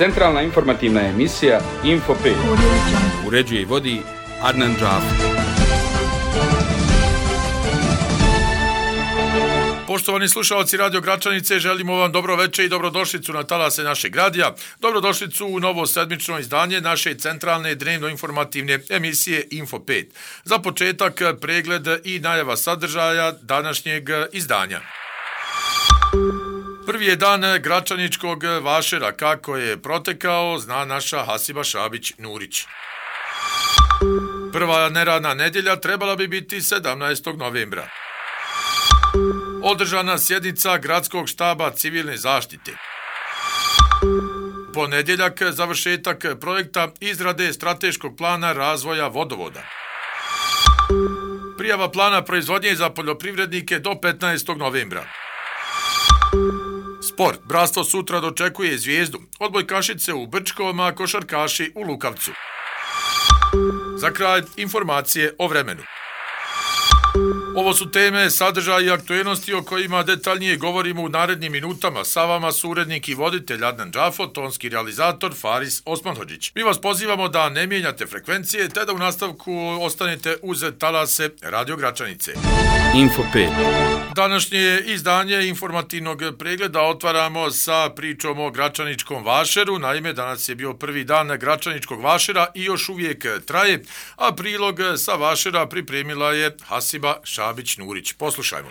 Centralna informativna emisija Info 5. Uređuje i vodi Adnan Džafer. Poštovani slušalci Radio Gračanice, želimo vam dobro večer i dobrodošlicu na talase našeg radija. Dobrodošlicu u novo sedmično izdanje naše centralne dnevno-informativne emisije Info 5. Za početak pregled i najava sadržaja današnjeg izdanja. Prvi je dan Gračaničkog vašera. Kako je protekao, zna naša Hasiba Šabić-Nurić. Prva neradna nedjelja trebala bi biti 17. novembra. Održana sjednica Gradskog štaba civilne zaštite. Ponedjeljak završetak projekta izrade strateškog plana razvoja vodovoda. Prijava plana proizvodnje za poljoprivrednike do 15. novembra. Sport. Bratstvo sutra dočekuje Zvijezdu. Odbojkašice u Brčkom, a košarkaši u Lukavcu. Za kraj informacije o vremenu. Ovo su teme, sadržaji i aktuelnosti o kojima detaljnije govorimo u narednim minutama. Sa vama su urednik i voditelj Adnan Džafer, tonski realizator Faris Osmanhodžić. Mi vas pozivamo da ne mijenjate frekvencije, te da u nastavku ostanete uz talase Radio Gračanice. Info 5. Današnje izdanje informativnog pregleda otvaramo sa pričom o Gračaničkom vašeru. Naime, danas je bio prvi dan Gračaničkog vašera i još uvijek traje, a prilog sa vašera pripremila je Hasiba Šabić-Nurić. Poslušajmo.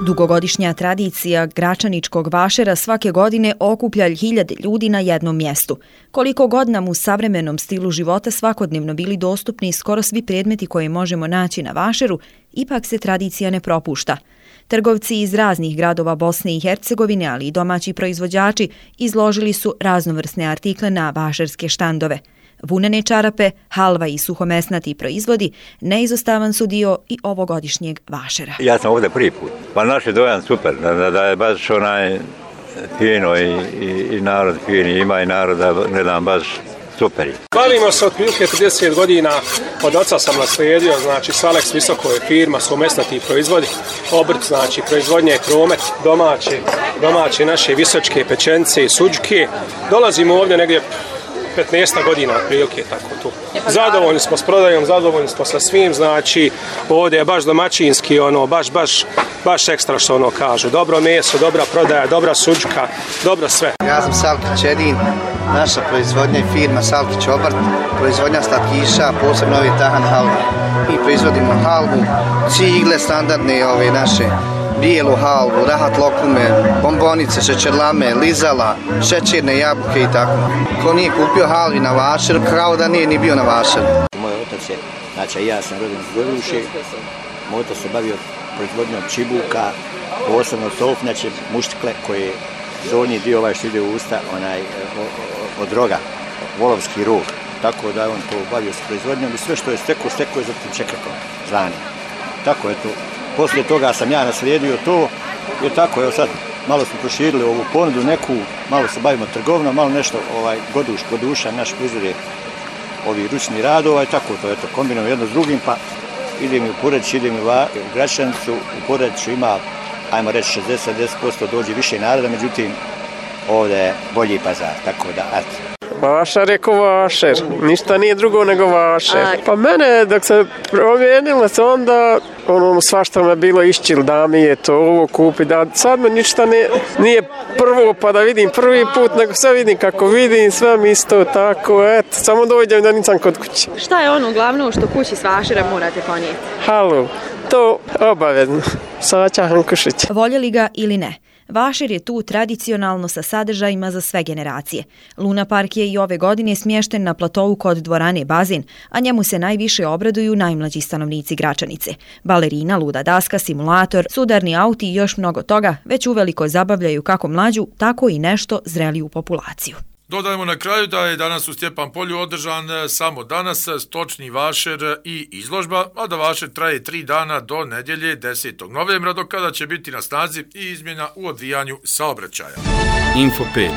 Dugogodišnja tradicija Gračaničkog vašera svake godine okuplja hiljade ljudi na jednom mjestu. Koliko god nam u savremenom stilu života svakodnevno bili dostupni skoro svi predmeti koje možemo naći na vašeru, ipak se tradicija ne propušta. Trgovci iz raznih gradova Bosne i Hercegovine, ali i domaći proizvođači, izložili su raznovrsne artikle na vašerske štandove. Vunene čarape, halva i suhomesnati proizvodi neizostavan su dio i ovogodišnjeg vašera. Ja sam ovdje prvi put, pa naš je dojam super, da je baš onaj fino i narod fini, ima i narod da gledam baš super. Bavimo se otprilike 30 godina, od oca sam naslijedio, znači Salex Visoko je firma, suhomesnati proizvodi, obrt, znači proizvodnje kromet, domaće naše visočke pečenice i suđke. Dolazimo ovdje negdje 15 godina otprilike, tako tu. Zadovoljni smo s prodajom, zadovoljni smo sa svim, znači ovdje je baš domaćinski, baš ekstra što ono kažu. Dobro meso, dobra prodaja, dobra suđka, dobro sve. Ja sam Salkić Edin, naša proizvodnja je firma Salkić obrt, proizvodnja slatkiša, posebno ovi tahan halva. Mi proizvodimo halvu, cigle standardne ove naše, bijelu halvu, rahat lokume, bombonice, šećerlame, lizala, šećerne jabuke i tako. Ko nije kupio halvi na vašeru, kao da nije ni bio na vašeru. Moj otac je, znači ja sam rođen iz Goruše, moj otac se bavio proizvodnjom čibuka, posebno sofnjače, muštikle koje donji dio što ide u usta, od roga, volovski rog. Tako da je on to bavio s proizvodnjom i sve što je stekao je za tim čekretom zvani. Tako je to. Poslije toga sam ja naslijedio to i tako, evo sad malo smo proširili ovu ponudu neku, malo se bavimo trgovinom, malo nešto goduša, naš proizvode ovi ručni radova i tako to, eto, kombinujemo jedno s drugim, pa idem i u Poreču, idem i u Gračanicu, u Poreču ima, ajmo reći 60% dođe više naroda, međutim ovdje je bolji pazar, tako da, eto. Vašar je ko vašer, ništa nije drugo nego vašer. Pa mene, dok se promijenilo se onda, svašta me bilo išćil da mi je to ovo kupi, da sad me ništa nije prvo pa da vidim prvi put, nego sve vidim kako vidim, sve mi isto tako, eto, samo dođem da nisam kod kuće. Šta je ono glavno što kući s vašera morate ponijeti? Halu, to obavezno, Sača Hankušić. Voljeli ga ili ne? Vašer je tu tradicionalno sa sadržajima za sve generacije. Luna park je i ove godine smješten na platovu kod dvorane Bazin, a njemu se najviše obraduju najmlađi stanovnici Gračanice. Balerina, luda daska, simulator, sudarni auti i još mnogo toga već uveliko zabavljaju kako mlađu, tako i nešto zreliju populaciju. Dodajemo na kraju da je danas u Stjepan Polju održan samo danas stočni vašer i izložba, a da vašer traje 3 dana do nedjelje 10. novembra, do kada će biti na snazi i izmjena u odvijanju saobraćaja. Info 5.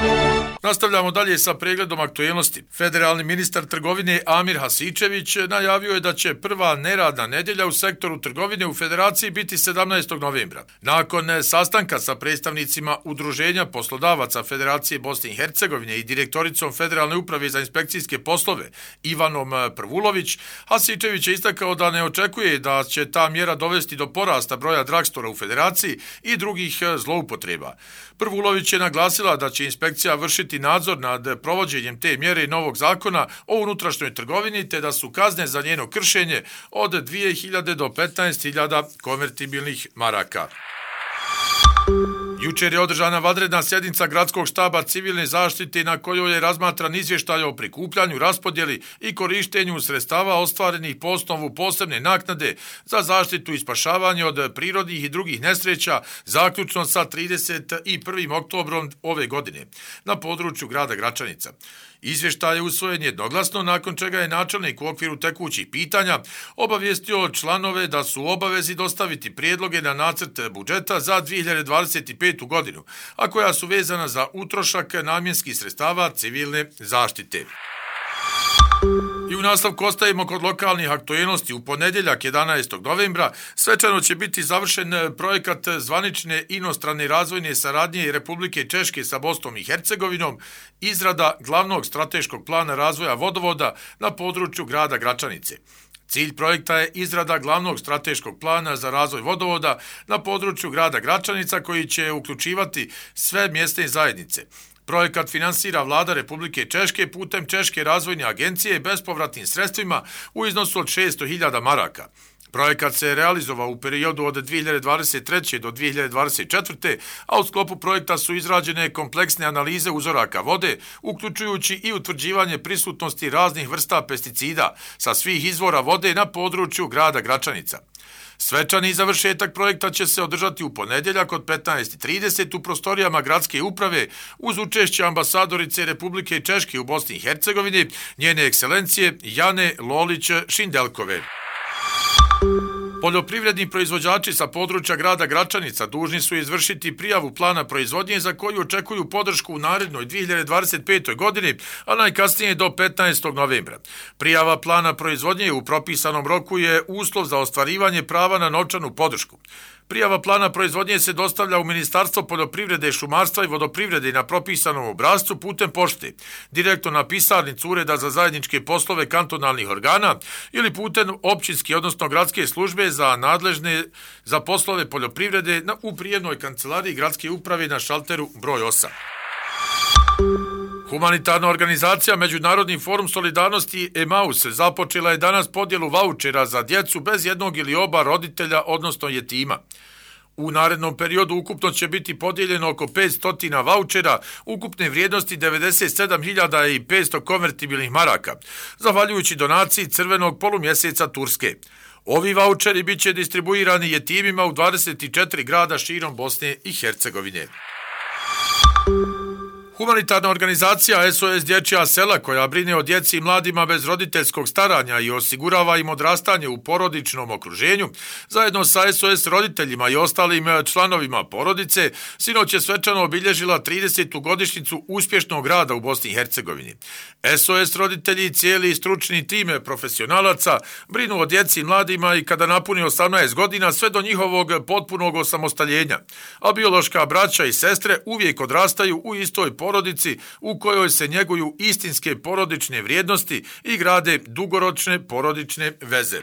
Nastavljamo dalje sa pregledom aktuelnosti. Federalni ministar trgovine Amir Hasičević najavio je da će prva neradna nedjelja u sektoru trgovine u Federaciji biti 17. novembra. Nakon sastanka sa predstavnicima Udruženja poslodavaca Federacije Bosne i Hercegovine i direktoricom Federalne uprave za inspekcijske poslove Ivanom Prvulović, Hasičević je istakao da ne očekuje da će ta mjera dovesti do porasta broja dragstora u Federaciji i drugih zloupotreba. Prvulović je naglasila da će inspekcija vršiti nadzor nad provođenjem te mjere i novog zakona o unutrašnjoj trgovini, te da su kazne za njeno kršenje od 2.000 do 15.000 konvertibilnih maraka. Jučer je održana vanredna sjednica Gradskog štaba civilne zaštite na kojoj je razmatran izvještaj o prikupljanju, raspodjeli i korištenju sredstava ostvarenih po osnovu posebne naknade za zaštitu i spašavanje od prirodnih i drugih nesreća, zaključno sa 31. oktobrom ove godine na području grada Gračanica. Izvještaj je usvojen jednoglasno, nakon čega je načelnik u okviru tekućih pitanja obavijestio članove da su u obavezi dostaviti prijedloge na nacrt budžeta za 2025. godinu, a koja su vezana za utrošak namjenskih sredstava civilne zaštite. I u nastavku ostajemo kod lokalnih aktuelnosti. U ponedjeljak 11. novembra svečano će biti završen projekat zvanične inostrane razvojne saradnje Republike Češke sa Bosnom i Hercegovinom, izrada glavnog strateškog plana razvoja vodovoda na području grada Gračanice. Cilj projekta je izrada glavnog strateškog plana za razvoj vodovoda na području grada Gračanica koji će uključivati sve mjesne zajednice. Projekat finansira Vlada Republike Češke putem Češke razvojne agencije bespovratnim sredstvima u iznosu od 600.000 maraka. Projekat se realizovao u periodu od 2023. do 2024. a u sklopu projekta su izrađene kompleksne analize uzoraka vode, uključujući i utvrđivanje prisutnosti raznih vrsta pesticida sa svih izvora vode na području grada Gračanica. Svečani završetak projekta će se održati u ponedjeljak od 15:30 u prostorijama gradske uprave uz učešće ambasadorice Republike Češke u Bosni i Hercegovini, njene ekscelencije Jane Lolić-Šindelkove. Poljoprivredni proizvođači sa područja grada Gračanica dužni su izvršiti prijavu plana proizvodnje za koju očekuju podršku u narednoj 2025. godini, a najkasnije do 15. novembra. Prijava plana proizvodnje u propisanom roku je uslov za ostvarivanje prava na novčanu podršku. Prijava plana proizvodnje se dostavlja u Ministarstvo poljoprivrede, šumarstva i vodoprivrede na propisanom obrascu putem pošte, direktno na pisarnicu Ureda za zajedničke poslove kantonalnih organa ili putem općinske, odnosno gradske službe za nadležne za poslove poljoprivrede u prijemnoj kancelariji gradske uprave na šalteru broj 8. Humanitarna organizacija Međunarodni forum solidarnosti Emaus započela je danas podjelu vaučera za djecu bez jednog ili oba roditelja, odnosno jetima. U narednom periodu ukupno će biti podijeljeno oko 500 vaučera ukupne vrijednosti 97.500 konvertibilnih maraka, zahvaljujući donaciji Crvenog polumjeseca Turske. Ovi vaučeri bit će distribuirani jetimima u 24 grada širom Bosne i Hercegovine. Humanitarna organizacija SOS Dječja sela, koja brine o djeci i mladima bez roditeljskog staranja i osigurava im odrastanje u porodičnom okruženju, zajedno sa SOS roditeljima i ostalim članovima porodice, sinoć je svečano obilježila 30. godišnjicu uspješnog rada u Bosni i Hercegovini. SOS roditelji i cijeli stručni tim profesionalaca brinu o djeci i mladima i kada napuni 18 godina sve do njihovog potpunog osamostaljenja, a biološka braća i sestre uvijek odrastaju u istoj porodici u kojoj se njeguju istinske porodične vrijednosti i grade dugoročne porodične veze.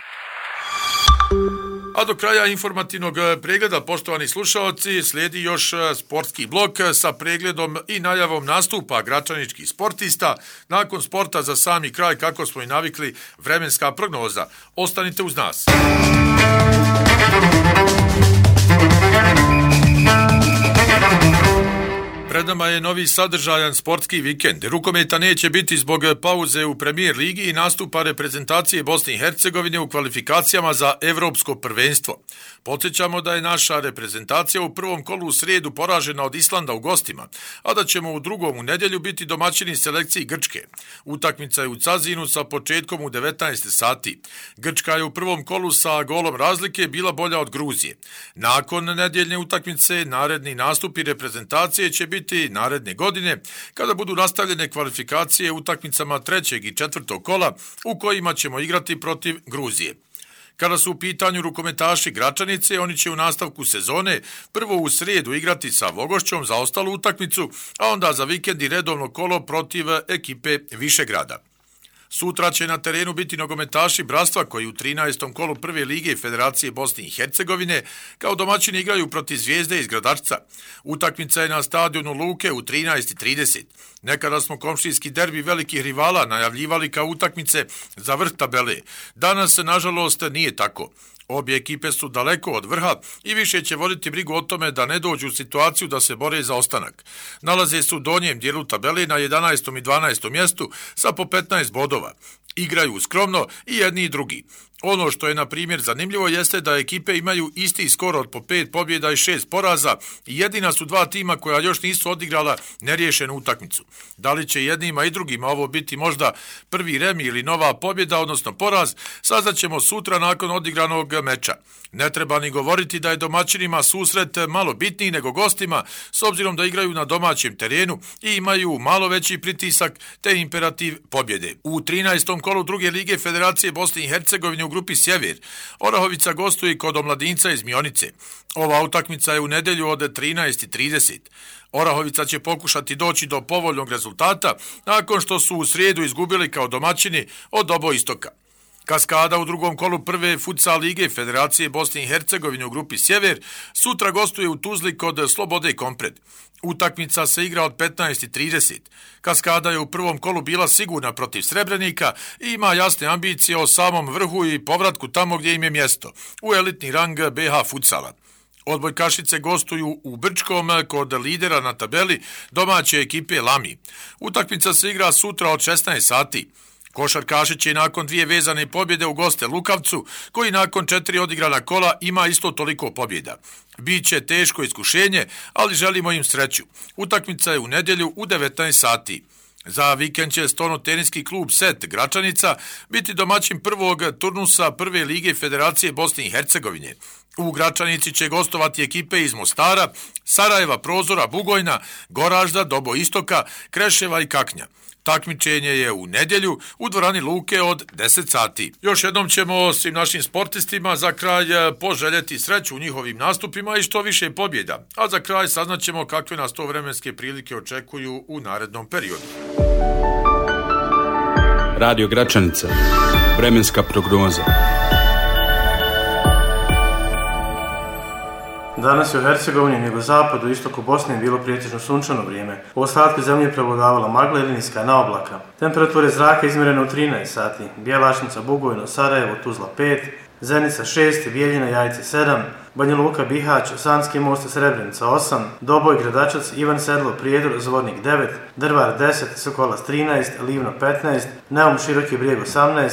A do kraja informativnog pregleda, poštovani slušaoci, slijedi još sportski blok sa pregledom i najavom nastupa gračaničkih sportista. Nakon sporta za sami kraj, kako smo i navikli, vremenska prognoza. Ostanite uz nas. Pred nama je novi sadržajan sportski vikend. Rukometa neće biti zbog pauze u Premier ligi i nastupa reprezentacije Bosne i Hercegovine u kvalifikacijama za Evropsko prvenstvo. Podsjećamo da je naša reprezentacija u prvom kolu u srijedu poražena od Islanda u gostima, a da ćemo u drugom u nedjelju biti domaćini selekciji Grčke. Utakmica je u Cazinu sa početkom u 19 sati. Grčka je u prvom kolu sa golom razlike bila bolja od Gruzije. Nakon nedjeljne utakmice, naredni nastupi reprezentacije će biti naredne godine, kada budu nastavljene kvalifikacije utakmicama 3. i 4. kola u kojima ćemo igrati protiv Gruzije. Kada su u pitanju rukometaši Gračanice, oni će u nastavku sezone prvo u srijedu igrati sa Vogošćom za ostalu utakmicu, a onda za vikend i redovno kolo protiv ekipe Višegrada. Sutra će na terenu biti nogometaši Bratstva koji u 13. kolu prve lige Federacije Bosne i Hercegovine kao domaćini igraju protiv Zvijezde iz Gradačca. Utakmica je na stadionu Luke u 13:30. Nekada smo komšijski derbi velikih rivala najavljivali kao utakmice za vrh tabele. Danas, nažalost, nije tako. Obje ekipe su daleko od vrha i više će voditi brigu o tome da ne dođu u situaciju da se bore za ostanak. Nalaze se u donjem dijelu tabele na 11. i 12. mjestu sa po 15 bodova. Igraju skromno i jedni i drugi. Ono što je, na primjer, zanimljivo jeste da ekipe imaju isti skor od po 5 pobjeda i 6 poraza i jedina su dva tima koja još nisu odigrala neriješenu utakmicu. Da li će jednima i drugima ovo biti možda prvi remi ili nova pobjeda, odnosno poraz, saznaćemo sutra nakon odigranog meča. Ne treba ni govoriti da je domaćinima susret malo bitniji nego gostima, s obzirom da igraju na domaćem terenu i imaju malo veći pritisak te imperativ pobjede. U 13. kolu druge lige Federacije Bosne i Hercegovine u grupi Sjever, Orahovica gostuje kod Omladinca iz Mionice. Ova utakmica je u nedjelju od 13:30. Orahovica će pokušati doći do povoljnog rezultata nakon što su u srijedu izgubili kao domaćini od Oboistoka. Kaskada u drugom kolu prve futsal lige Federacije Bosne i Hercegovine u grupi Sjever sutra gostuje u Tuzli kod Slobode Kompred. Utakmica se igra od 15:30. Kaskada je u prvom kolu bila sigurna protiv Srebrenika i ima jasne ambicije o samom vrhu i povratku tamo gdje im je mjesto, u elitni rang BH futsala. Odbojkašice gostuju u Brčkom kod lidera na tabeli domaće ekipe Lami. Utakmica se igra sutra od 16 sati. Košarkaši će nakon 2 vezane pobjede u goste Lukavcu, koji nakon 4 odigrana kola ima isto toliko pobjeda. Biće teško iskušenje, ali želimo im sreću. Utakmica je u nedjelju u 19 sati. Za vikend će Stono-teniski klub SET Gračanica biti domaćin prvog turnusa prve lige Federacije Bosne i Hercegovine. U Gračanici će gostovati ekipe iz Mostara, Sarajeva, Prozora, Bugojna, Goražda, Dobo Istoka, Kreševa i Kaknja. Takmičenje je u nedjelju u dvorani Luke od 10 sati. Još jednom ćemo svim našim sportistima za kraj poželjeti sreću u njihovim nastupima i što više pobjeda. A za kraj saznaćemo kakve nas to vremenske prilike očekuju u narednom periodu. Radio Gračanica. Vremenska prognoza. Danas je u Hercegovini nego zapadu i istoku Bosne bilo pretežno sunčano vrijeme. U ostatku zemlje prevladavala magla ili niska naoblaka. Temperature zraka izmjerene u 13 sati. Bjelašnica, Bugojno, Sarajevo, Tuzla 5, Zenica 6, Bijeljina, Jajce 7, Banja Luka, Bihać, Sanski most, Srebrenica 8, Doboj, Gradačac, Ivan Sedlo, Prijedor, Zvornik 9, Drvar 10, Sokolac 13, Livno 15, Neum, Široki brijeg 18,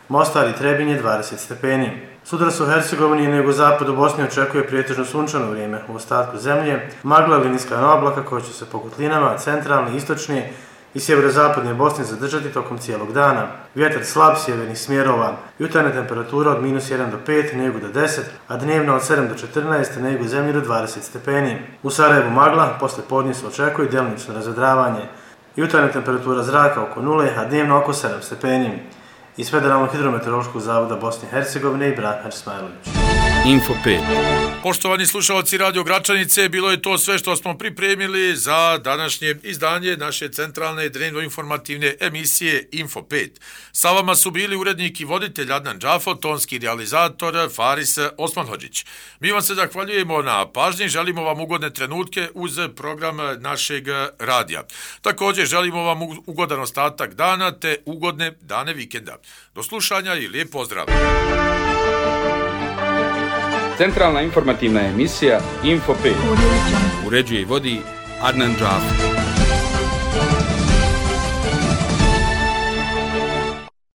Mostar i Trebinje 20 stepeni. Sutra se u Hercegovini i nego zapadu Bosne očekuje prijetežno sunčano vrijeme. U ostatku zemlje magla ili niska naoblaka koja će se po kotlinama centralne, istočne i sjeverozapadne Bosne zadržati tokom cijelog dana. Vjetar slab sjevernih smjerova. Jutarnja temperatura od -1 do 5, Negu do 10, a dnevna od 7 do 14, Negu zemlji do 20 stepeni. U Sarajevu magla, posle podne se očekuje djelomično razvedravanje. Jutarnja temperatura zraka oko 0, a dnevna oko 7 stepeni. Iz Federalnog hidrometeorološkog zavoda Bosne i Hercegovine i Branimir Smajlović. Info 5. Poštovani slušalci Radio Gračanice, bilo je to sve što smo pripremili za današnje izdanje naše centralne dnevno-informativne emisije Info 5. Sa vama su bili urednik i voditelj Adnan Džafo, tonski realizator Faris Osmanhodžić. Mi vam se zahvaljujemo na pažnji, želimo vam ugodne trenutke uz program našeg radija. Također želimo vam ugodan ostatak dana te ugodne dane vikenda. Do slušanja i lijep pozdrav! Centralna informativna emisija Info 5. Uređuje i vodi Adnan Džafo.